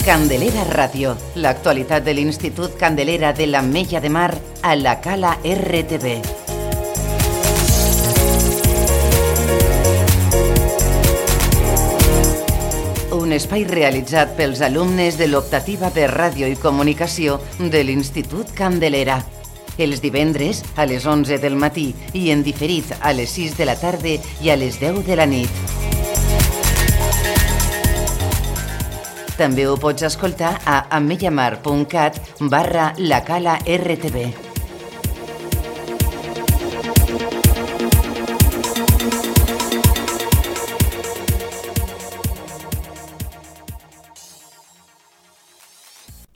Candelera Ràdio, l'actualitat de l'Institut Candelera de l'Ametlla de Mar a la Cala RTV. Un espai realitzat pels alumnes de l'optativa per ràdio i comunicació de l'Institut Candelera. Els divendres a les 11 del matí i en diferit a les 6 de la tarda i a les 10 de la nit. També ho pots escoltar a ametllamar.cat/lacala-rtv.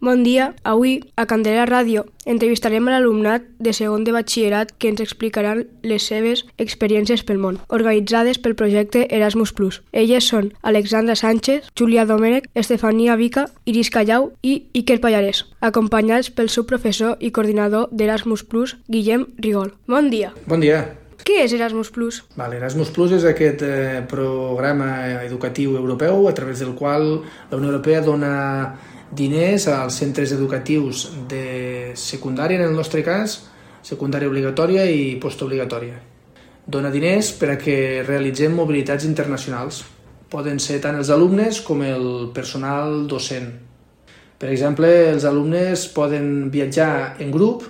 Bon dia. Avui, a Candelera Ràdio, entrevistarem a l'alumnat de segon de batxillerat que ens explicaran les seves experiències pel món, organitzades pel projecte Erasmus+. Elles són Alexandra Sánchez, Júlia Domènech, Estefania Vica, Iris Callau i Iker Pallarès, acompanyats pel seu professor i coordinador d'Erasmus+, Guillem Rigol. Bon dia. Bon dia. Què és Erasmus+? Erasmus+ és aquest programa educatiu europeu a través del qual la Unió Europea dona diners als centres educatius de secundària, en el nostre cas, secundària obligatòria i postobligatòria. Dona diners per a que realitzem mobilitats internacionals. Poden ser tant els alumnes com el personal docent. Per exemple, els alumnes poden viatjar en grup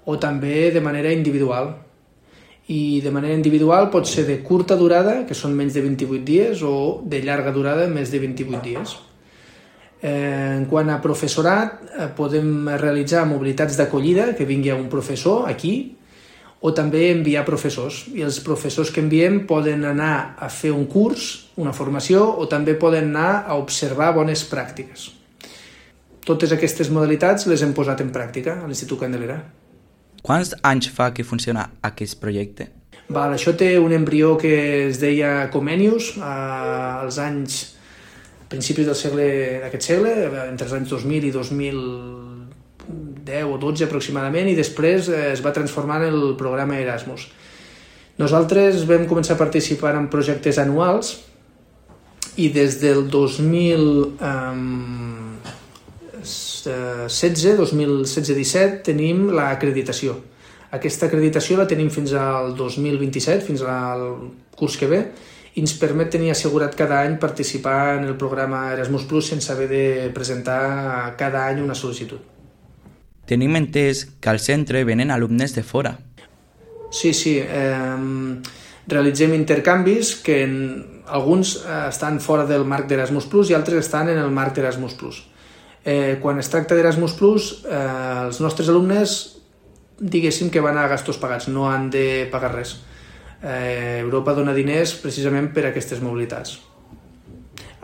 o també de manera individual. I de manera individual pot ser de curta durada, que són menys de 28 dies, o de llarga durada, més de 28 dies. En quant a professorat, podem realitzar mobilitats d'acollida, que vingui un professor aquí, o també enviar professors. I els professors que enviem poden anar a fer un curs, una formació, o també poden anar a observar bones pràctiques. Totes aquestes modalitats les hem posat en pràctica a l'Institut Candelera. Quants anys fa que funciona aquest projecte? Això té un embrió que es deia Comenius als anys principis d'aquest segle, entre els anys 2000 i 2010 o 12 aproximadament, i després es va transformar en el programa Erasmus. Nosaltres vam començar a participar en projectes anuals i des del 2016-17 tenim l'acreditació. Aquesta acreditació la tenim fins al 2027, fins al curs que ve, i ens permet tenir assegurat cada any participar en el programa Erasmus+ sense haver de presentar cada any una sol·licitud. Tenim entès que al centre venen alumnes de fora. Sí. Realitzem intercanvis que alguns estan fora del marc d'Erasmus+ i altres estan en el marc d'Erasmus+. Quan es tracta d'Erasmus+, els nostres alumnes, diguéssim que van a gastos pagats, no han de pagar res. Europa dona diners precisament per a aquestes mobilitats.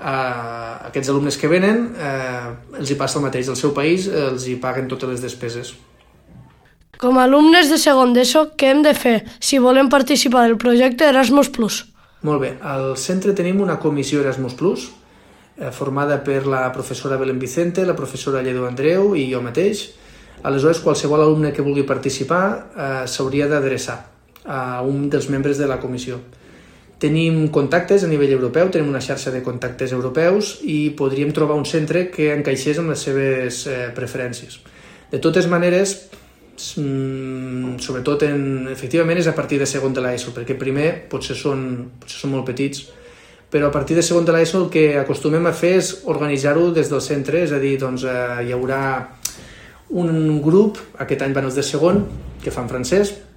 Aquests alumnes que venen els hi passa el mateix, al seu país els hi paguen totes les despeses. Com a alumnes de segon d'ESO, què hem de fer si volem participar del projecte Erasmus+? Molt bé, al centre tenim una comissió Erasmus+, formada per la professora Belén Vicente, la professora Lledó Andreu i jo mateix. Aleshores, qualsevol alumne que vulgui participar s'hauria d'adreçar a un dels membres de la comissió. Tenim contactes a nivell europeu, tenim una xarxa de contactes europeus i podríem trobar un centre que encaixés amb les seves preferències. De totes maneres, sobretot efectivament és a partir de segon de l'ESO, perquè primer potser són molt petits, però a partir de segon de l'ESO el que acostumem a fer és organitzar-ho des del centre, és a dir, hi haurà un grup, aquest any van els de segon, que fan francès,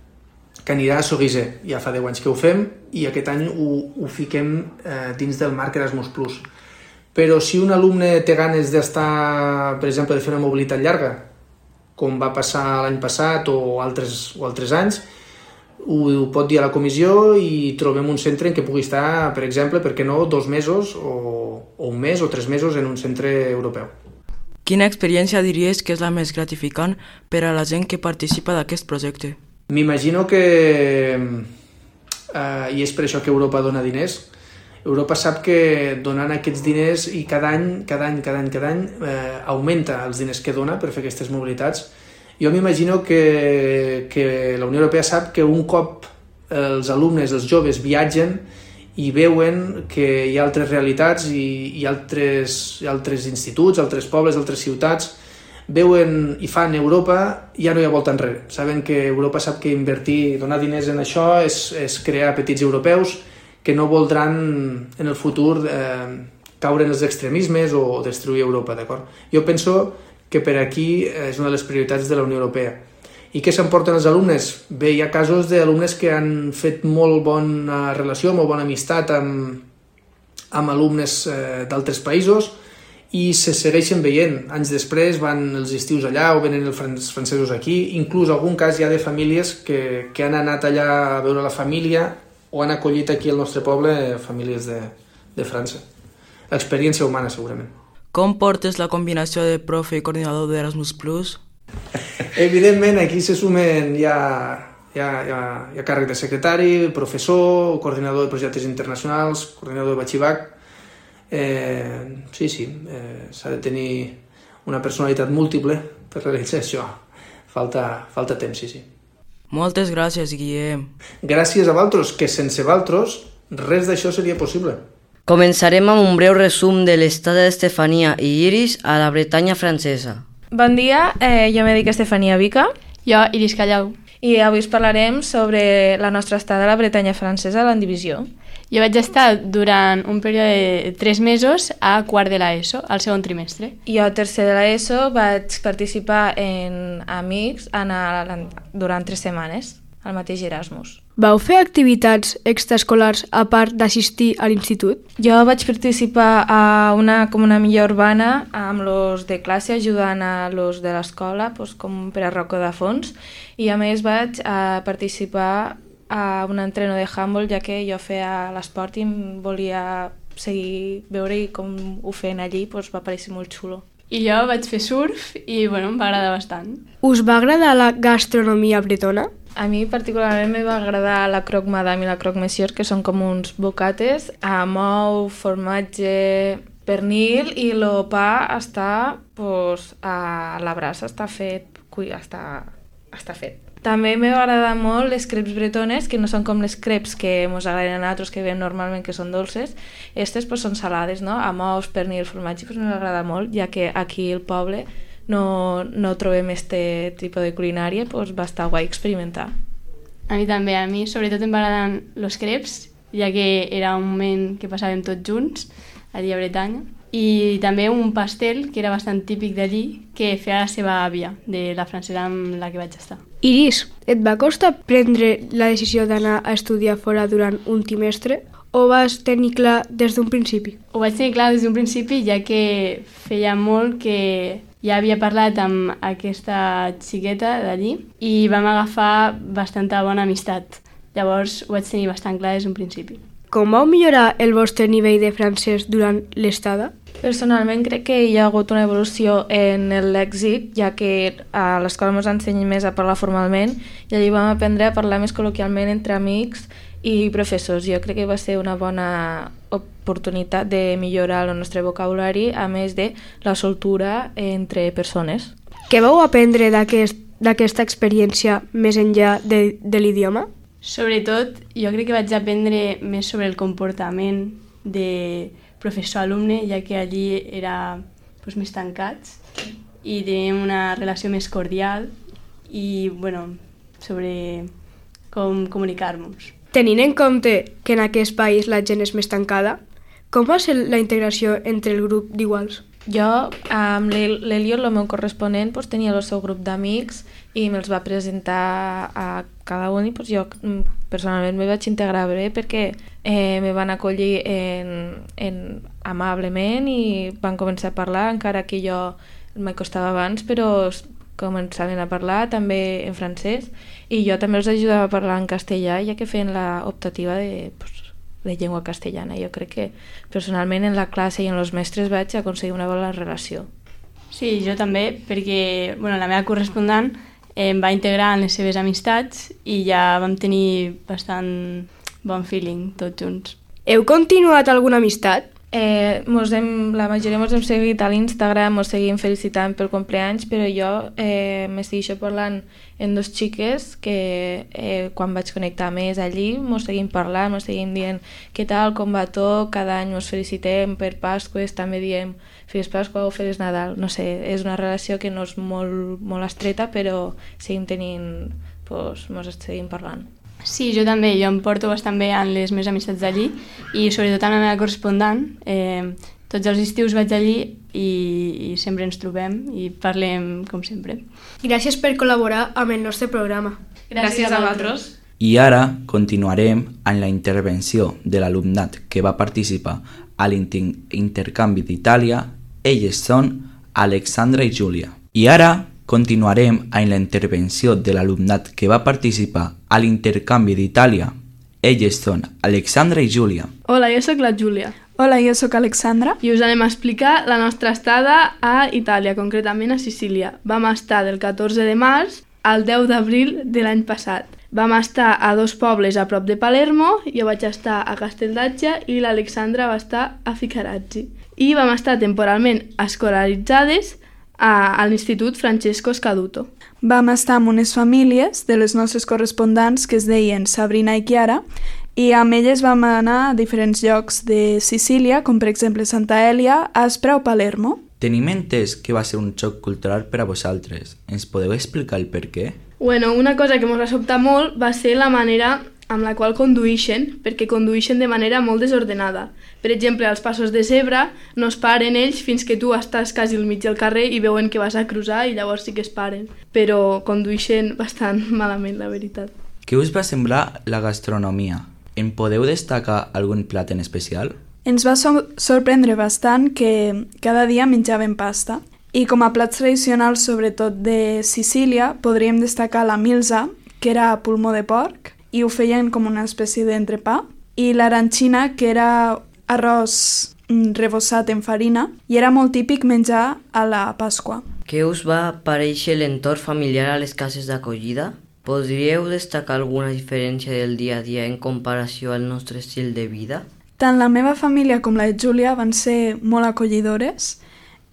que anirà a Soguisé. Ja fa 10 anys que ho fem i aquest any ho fiquem dins del marc Erasmus+. Però si un alumne té ganes d'estar, per exemple, de fer una mobilitat llarga, com va passar l'any passat o altres anys, ho pot dir a la comissió i trobem un centre en què pugui estar, per exemple, per què no, 2 mesos o un mes o 3 mesos en un centre europeu. Quina experiència diries que és la més gratificant per a la gent que participa d'aquest projecte? M'imagino que, i és per això que Europa dona diners, Europa sap que donant aquests diners i cada any augmenta els diners que dona per fer aquestes mobilitats. Jo m'imagino que la Unió Europea sap que un cop els alumnes, els joves, viatgen i veuen que hi ha altres realitats i altres instituts, altres pobles, altres ciutats, veuen i fan Europa, ja no hi ha volta enrere. Saben que Europa sap que invertir, donar diners en això és crear petits europeus que no voldran en el futur caure en els extremismes o destruir Europa, d'acord? Jo penso que per aquí és una de les prioritats de la Unió Europea. I què s'emporten els alumnes? Bé, hi ha casos d'alumnes que han fet molt bona relació, molt bona amistat amb alumnes d'altres països i se segueixen veient. Anys després van els estius allà o venen els francesos aquí. Inclús en algun cas hi ha de famílies que han anat allà a veure la família o han acollit aquí al nostre poble famílies de França. L'experiència humana, segurament. Com portes la combinació de profe i coordinador d'Erasmus+. Evidentment, aquí se sumen ja càrrec de secretari, professor, coordinador de projectes internacionals, coordinador de batxibac. Sí, s'ha de tenir una personalitat múltiple per realitzar això. Falta temps, sí. Moltes gràcies, Guillem. Gràcies a vosaltres, que sense vosaltres res d'això seria possible. Començarem amb un breu resum de l'estada d'Estefania i Iris a la Bretanya francesa. Bon dia, jo me dic Estefania Vica. Jo, Iris Callau. I avui us parlarem sobre la nostra estada a la Bretanya francesa a l'Andivisió. Jo vaig estar durant un període de 3 mesos a quart de l'ESO, al segon trimestre. Jo a tercer de l'ESO vaig participar en Amics durant 3 setmanes, al mateix Erasmus. Vau fer activitats extraescolars a part d'assistir a l'institut? Jo vaig participar a una comuna millor urbana amb los de classe ajudant a los de l'escola com per a racó de fons i a més vaig participar a un entreno de handball ja que jo feia l'esport i em volia seguir veure i com ho feien allí va parecer molt xulo. I jo vaig fer surf i em va agradar bastant. Us va agradar la gastronomia bretona? A mi particularment me va agradar la croque madame i la croque monsieur, que són com uns bocates amb ou, formatge, pernil i el pa està a la brasa, està fet. També me va agradar molt les crepes bretones, que no són com les crepes que ens agraden a nosaltres, que veiem normalment que són dolces. Aquestes són salades, no? Amb ous, pernil, formatge, me va agradar molt, ja que aquí al poble no trobem aquest tipus de culinària, va estar guai experimentar. A mi també, a mi sobretot em agraden els crepes, ja que era un moment que passàvem tots junts allí a Bretanya, i també un pastel que era bastant típic d'allí, que feia la seva àvia, de la francesa amb la que vaig estar. Iris, et va costar prendre la decisió d'anar a estudiar fora durant un trimestre o vas tenir clar des d'un principi? Ho vaig tenir clar des d'un principi, ja que feia molt que ja havia parlat amb aquesta xiqueta d'allí i vam agafar bastanta bona amistat. Llavors ho vaig tenir bastant clar des d'un principi. Com vau millorar el vostre nivell de francès durant l'estada? Personalment crec que hi ha hagut una evolució en l'èxit, ja que a l'escola ens ensenyen més a parlar formalment i allí vam aprendre a parlar més col·loquialment entre amics i professors. Jo crec que va ser una bona oportunitat de millorar el nostre vocabulari, a més de la soltura entre persones. Què vau aprendre d'aquesta experiència més enllà de l'idioma? Sobretot, jo crec que vaig aprendre més sobre el comportament de professor-alumne, ja que allí era més tancats i teníem una relació més cordial i, sobre com comunicar-nos. Tenint en compte que en aquest país la gent és més tancada, com va ser la integració entre el grup d'iguals? Jo, amb l'Eliot, el meu corresponent, tenia el seu grup d'amics i me'ls va presentar a cada un i jo personalment me vaig integrar bé perquè me van acollir amablement i van començar a parlar, encara que jo m'hi costava abans, però començaven a parlar també en francès i jo també els ajudava a parlar en castellà, ja que feien l'optativa de llengua castellana. Jo crec que personalment en la classe i en els mestres vaig aconseguir una bona relació. Sí, jo també, perquè la meva correspondent em va integrar en les seves amistats i ja vam tenir bastant bon feeling tots junts. Heu continuat alguna amistat? La majoria ens hem seguit a l'Instagram, ens seguim felicitant pel compleanys, però jo m'estic parlant amb dos xiques que quan vaig connectar més allí ens seguim parlant, ens seguim dient què tal, com va tot, cada any ens felicitem per Pasques, també diem Feliç Pasqua o Feliç Nadal, no sé, és una relació que no és molt estreta, però seguim tenint, ens seguim parlant. Sí, jo també, jo em porto bastant bé en les meves amistats d'allí i sobretot en la meva correspondent. Tots els estius vaig allí i sempre ens trobem i parlem com sempre. Gràcies per col·laborar amb el nostre programa. Gràcies a vosaltres. I ara continuarem amb la intervenció de l'alumnat que va participar a l'intercanvi d'Itàlia. Elles són Alexandra i Júlia. I ara continuarem amb la intervenció de l'alumnat que va participar a l'intercanvi d'Itàlia. Elles són Alexandra i Júlia. Hola, jo sóc la Júlia. Hola, jo sóc Alexandra. I us anem a explicar la nostra estada a Itàlia, concretament a Sicília. Vam estar del 14 de març al 10 d'abril de l'any passat. Vam estar a 2 pobles a prop de Palermo, jo vaig estar a Casteldaccia i l'Alexandra va estar a Ficarazzi. I vam estar temporalment escolaritzades a l'Institut Francesco Scaduto. Vam estar amb unes famílies de les nostres correspondents que es deien Sabrina i Chiara i amb elles vam anar a diferents llocs de Sicília, com per exemple Santa Elia, Aspra o Palermo. Tenim entès que va ser un xoc cultural per a vosaltres. Ens podeu explicar el per què? Bueno, una cosa que ens va sobtar molt va ser la manera amb la qual conduïxen, perquè conduïxen de manera molt desordenada. Per exemple, als passos de zebra no es paren ells fins que tu estàs quasi al mig del carrer i veuen que vas a cruzar i llavors sí que es paren. Però conduïxen bastant malament, la veritat. Què us va semblar la gastronomia? En podeu destacar algun plat en especial? Ens va sorprendre bastant que cada dia menjaven pasta. I com a plats tradicionals, sobretot de Sicília, podríem destacar la milza, que era pulmó de porc, i ho feien com una espècie d'entrepà, i l'arancina, que era arròs rebossat en farina, i era molt típic menjar a la Pasqua. Què us va parèixer l'entorn familiar a les cases d'acollida? Podríeu destacar alguna diferència del dia a dia en comparació al nostre estil de vida? Tant la meva família com la de Júlia van ser molt acollidores.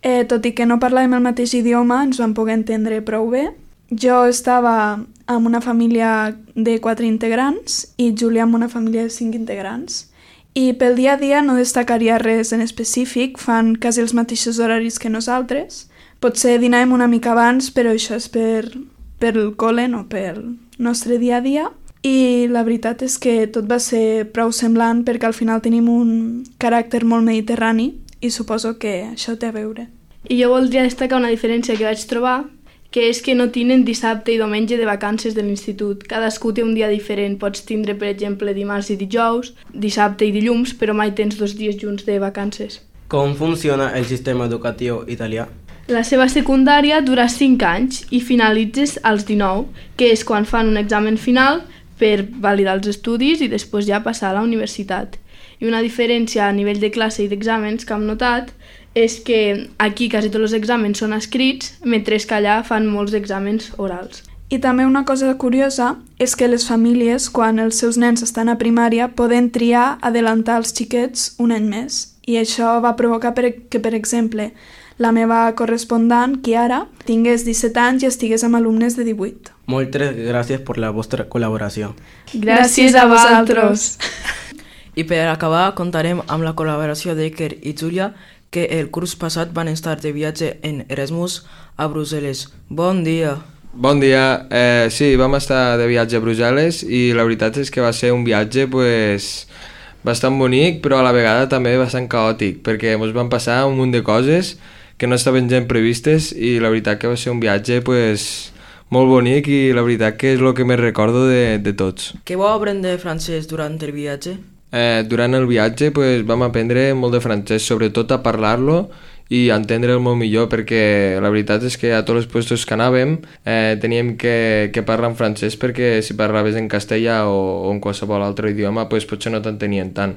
Tot i que no parlàvem el mateix idioma, ens vam poder entendre prou bé. Jo estava amb una família de 4 integrants i Júlia amb una família de 5 integrants. I pel dia a dia no destacaria res en específic, fan quasi els mateixos horaris que nosaltres. Potser dinàvem una mica abans, però això és pel col·le, no pel nostre dia a dia. I la veritat és que tot va ser prou semblant perquè al final tenim un caràcter molt mediterrani i suposo que això té a veure. I jo voldria destacar una diferència que vaig trobar, que és que no tenen dissabte i diumenge de vacances de l'institut. Cadascú té un dia diferent. Pots tindre, per exemple, dimarts i dijous, dissabte i dilluns, però mai tens 2 dies junts de vacances. Com funciona el sistema educatiu italià? La seva secundària dura 5 anys i finalitzes als 19, que és quan fan un examen final per validar els estudis i després ja passar a la universitat. I una diferència a nivell de classe i d'exàmens que hem notat és que aquí quasi tots els exàmens són escrits, mentre que allà fan molts exàmens orals. I també una cosa curiosa és que les famílies, quan els seus nens estan a primària, poden triar adelantar els xiquets un any més. I això va provocar que, per exemple, la meva correspondent, Chiara, tingués 17 anys i estigués amb alumnes de 18. Moltes gràcies per la vostra col·laboració. Gràcies a vosaltres. I per acabar, contarem amb la col·laboració d'Iker i Júlia, que el curs passat van estar de viatge en Erasmus a Brussel·les. Bon dia! Bon dia. Sí, vam estar de viatge a Brussel·les i la veritat és que va ser un viatge bastant bonic, però a la vegada també bastant caòtic, perquè ens van passar un munt de coses que no estaven gens previstes i la veritat que va ser un viatge molt bonic i la veritat que és el que més recordo de tots. Què vau aprendre francès durant el viatge? Durant el viatge vam aprendre molt de francès, sobretot a parlar-lo i a entendre'l molt millor, perquè la veritat és que a tots els puestos que anàvem teníem que parlar en francès, perquè si parlaves en castellà o en qualsevol altre idioma potser no t'entenien tant.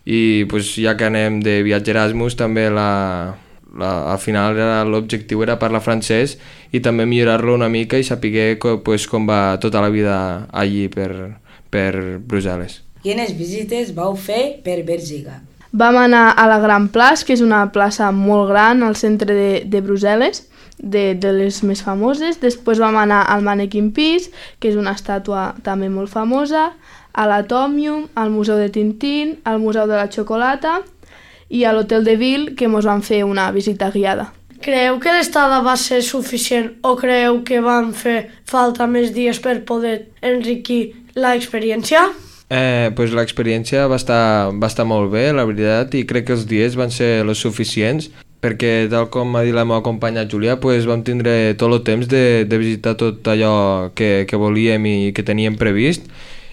I ja que anem de viatge Erasmus també al final l'objectiu era parlar francès i també millorar-lo una mica i saber com va tota la vida allí per Brussel·les. Quines visites vau fer per Bèlgica? Vam anar a la Gran Place, que és una plaça molt gran al centre de Brussel·les, de les més famoses. Després vam anar al Mannequin Peace, que és una estàtua també molt famosa, a l'Atomium, al Museu de Tintín, al Museu de la Xocolata i a l'Hotel de Ville, que ens van fer una visita guiada. Creieu que l'estada va ser suficient o creieu que van fer falta més dies per poder enriquir l'experiència? Pues l'experiència va estar molt bé, la veritat, i crec que els dies van ser els suficients, perquè tal com ha dit la meva companya Julià, pues vam tindre tot el temps de visitar tot allò que volíem i que teníem previst,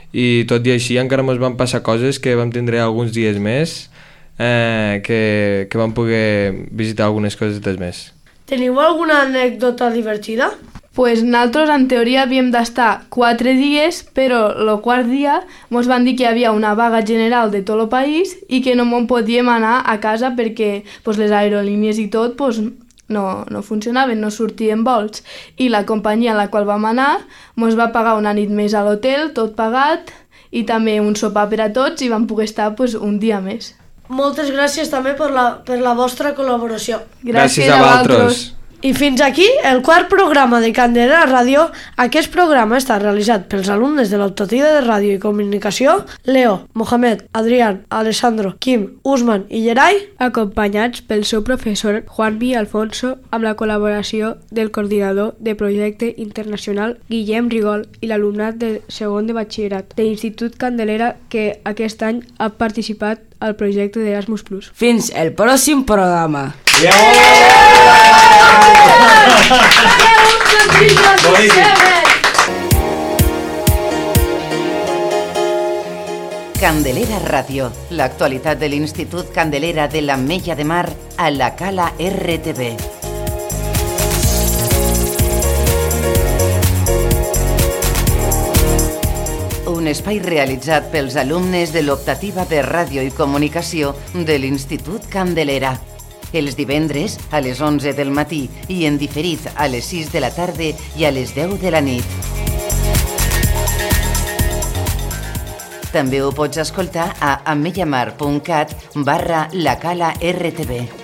i tot i així encara ens van passar coses que vam tindre alguns dies més, que vam poder visitar algunes coses més. Teniu alguna anècdota divertida? Pues nosaltres en teoria havíem d'estar 4 dies, però el quart dia ens van dir que hi havia una vaga general de tot el país i que no en podíem anar a casa perquè les aerolínies i tot no funcionaven, no sortien vols. I la companyia a la qual vam anar ens va pagar una nit més a l'hotel, tot pagat, i també un sopar per a tots i vam poder estar un dia més. Moltes gràcies també per la vostra col·laboració. Gràcies a vosaltres. I fins aquí el quart programa de Candelera Ràdio. Aquest programa està realitzat pels alumnes de l'optativa de Ràdio i Comunicació Leo, Mohamed, Adrián, Alessandro, Quim, Usman i Gerai, acompanyats pel seu professor Juanvi Alfonso, amb la col·laboració del coordinador de projecte internacional Guillem Rigol i l'alumnat de segon de batxillerat de l'Institut Candelera, que aquest any ha participat al projecte d'Erasmus+. Fins el pròxim programa. Candelera Ràdio, l'actualitat de l'Institut Candelera de l'Ametlla de Mar a la Cala RTV. Un espai realitzat pels alumnes de l'optativa per Ràdio i Comunicació de l'Institut Candelera. Els divendres a les 11 del matí i en diferit a les 6 de la tarda i a les 10 de la nit. També ho pots escoltar a ametllamar.cat/la Cala RTV.